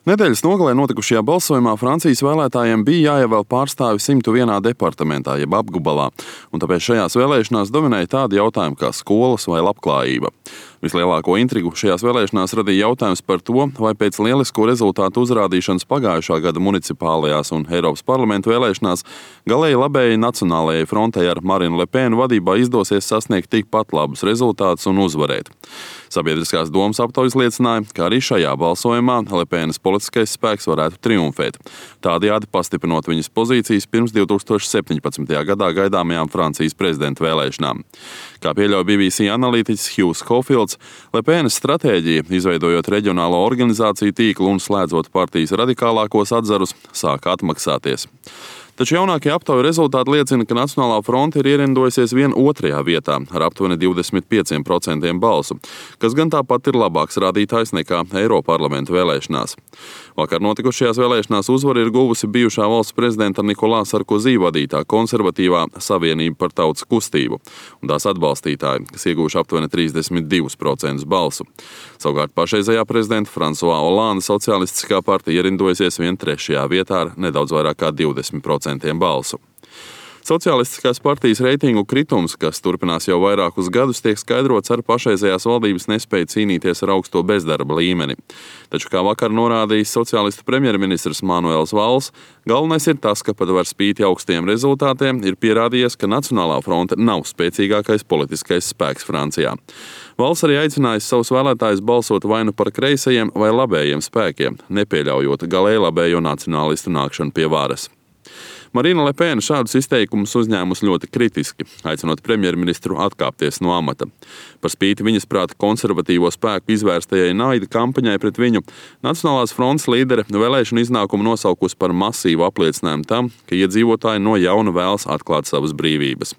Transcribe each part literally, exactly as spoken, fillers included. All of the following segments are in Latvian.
Nedēļas nogalē notikušajā balsojumā Francijas vēlētājiem bija jāievēl pārstāvi simtu vienā departamentā, jeb apgabalā, un tāpēc šajās vēlēšanās dominēja tādi jautājumi kā skolas vai labklājība. Vislielāko intrigu šajās vēlēšanās radīja jautājums par to, vai pēc lielisko rezultātu uzrādīšanas pagājušā gada municipālajās un Eiropas parlamentu vēlēšanās galēji labējai Nacionālajai frontei ar Marinu Le Penu vadībā izdosies sasniegt tikpat labus rezultātus un uzvarēt. Sabiedriskās domas aptaujas liecināja, ka arī šajā balsojumā Le Penas politiskais spēks varētu triumfēt, tādējādi pastiprinot viņas pozīcijas pirms divi tūkstoši septiņpadsmitajā gadā gaidāmajām Francijas prezidenta vēlēšanām. Kā pieļauj B B C analītiķis Hughes Caulfields, Le Penas stratēģija, izveidojot reģionālo organizāciju tīklu un slēdzot partijas radikālākos atzarus, sāka atmaksāties. Taču jaunākie aptauju rezultāti liecina, ka Nacionālā fronte ir ierindojusies vien otrajā vietā ar aptuveni divdesmit pieciem procentiem balsu, kas gan tāpat ir labāks rādītājs nekā Eiroparlamenta vēlēšanās. Vakar notikušajās vēlēšanās uzvaru ir guvusi bijušā valsts prezidenta Nikolā Sarkozī vadītā konservatīvā Savienība par tautas kustību un tās atbalstītāji, kas ieguvuši aptuveni trīsdesmit divus procentus balsu. Savukārt pašreizējā prezidenta François Hollande socialistiskā partija ierindojusies vien trešajā vietā ar nedaudz vairāk kā divdesmit procentiem balsu. Socialistiskās partijas reitingu kritums, kas turpinās jau vairākus gadus, tiek skaidrots ar pašreizējās valdības nespēju cīnīties ar augsto bezdarba līmeni. Taču, kā vakar norādījis sociālistu premjerministrs Manuels Valls, galvenais ir tas, ka pat var spīti augstiem rezultātiem ir pierādījies, ka Nacionālā fronte nav spēcīgākais politiskais spēks Francijā. Valsts arī aicinājis savus vēlētājus balsot vai nu par kreisajiem vai labējiem spēkiem, nepieļaujot galēji labējo nacionālistu nākšanu pie varas. Marina Le Pena šādus izteikumus uzņēmus ļoti kritiski, aicinot premjerministru atkāpties no amata. Par spīti viņas prāta konservatīvo spēku izvērstajai naida kampaņai pret viņu, Nacionālās frontes līdere vēlēšanu iznākumu nosaukusi par masīvu apliecinājumu tam, ka iedzīvotāji no jauna vēlas atklāt savas brīvības.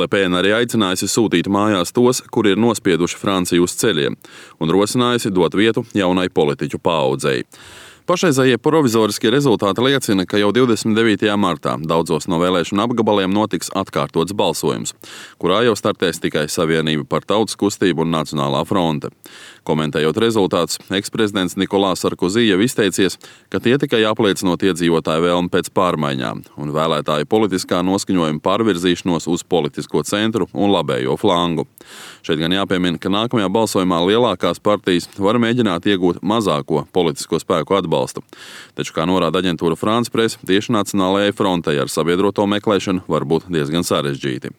Le Pena arī aicinājusi sūtīt mājās tos, kuri ir nospieduši Franciju uz ceļiem, un rosinājusi dot vietu jaunai politiķu paaudzei. Pašreizējie provizoriskie rezultāti liecina, ka jau divdesmit devītajā martā daudzos no vēlēšanu apgabaliem notiks atkārtots balsojums, kurā jau startēs tikai Savienība par tautas kustību un Nacionālā fronte. Komentējot rezultātus, eksprezidents Nikolā Sarkozī jau izteicies, ka tie tikai apliecinot iedzīvotāju vēlmi pēc pārmaiņām un vēlētāju politiskā noskaņojuma pārvirzīšanos uz politisko centru un labējo flangu. Šeit gan jāpiemina, ka nākamajā balsojumā lielākās partijas var mēģināt iegūt mazāko politisko spēku atbalstu. Taču, kā norāda aģentūra France Press, tieši Nacionālajai frontei ar sabiedroto meklēšanu var būt diezgan sarežģīti.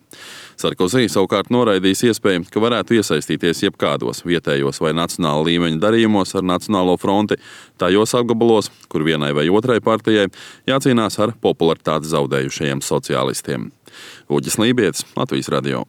Sarkozī savukārt noraidījis iespēju, ka varētu iesaistīties jebkādos vietējos vai nacionāla līmeņa darījumos ar Nacionālo fronti, tajos apgabalos, kur vienai vai otrai partijai jācīnās ar popularitāti zaudējušajiem sociālistiem. Uģis Lībietis, Latvijas radio.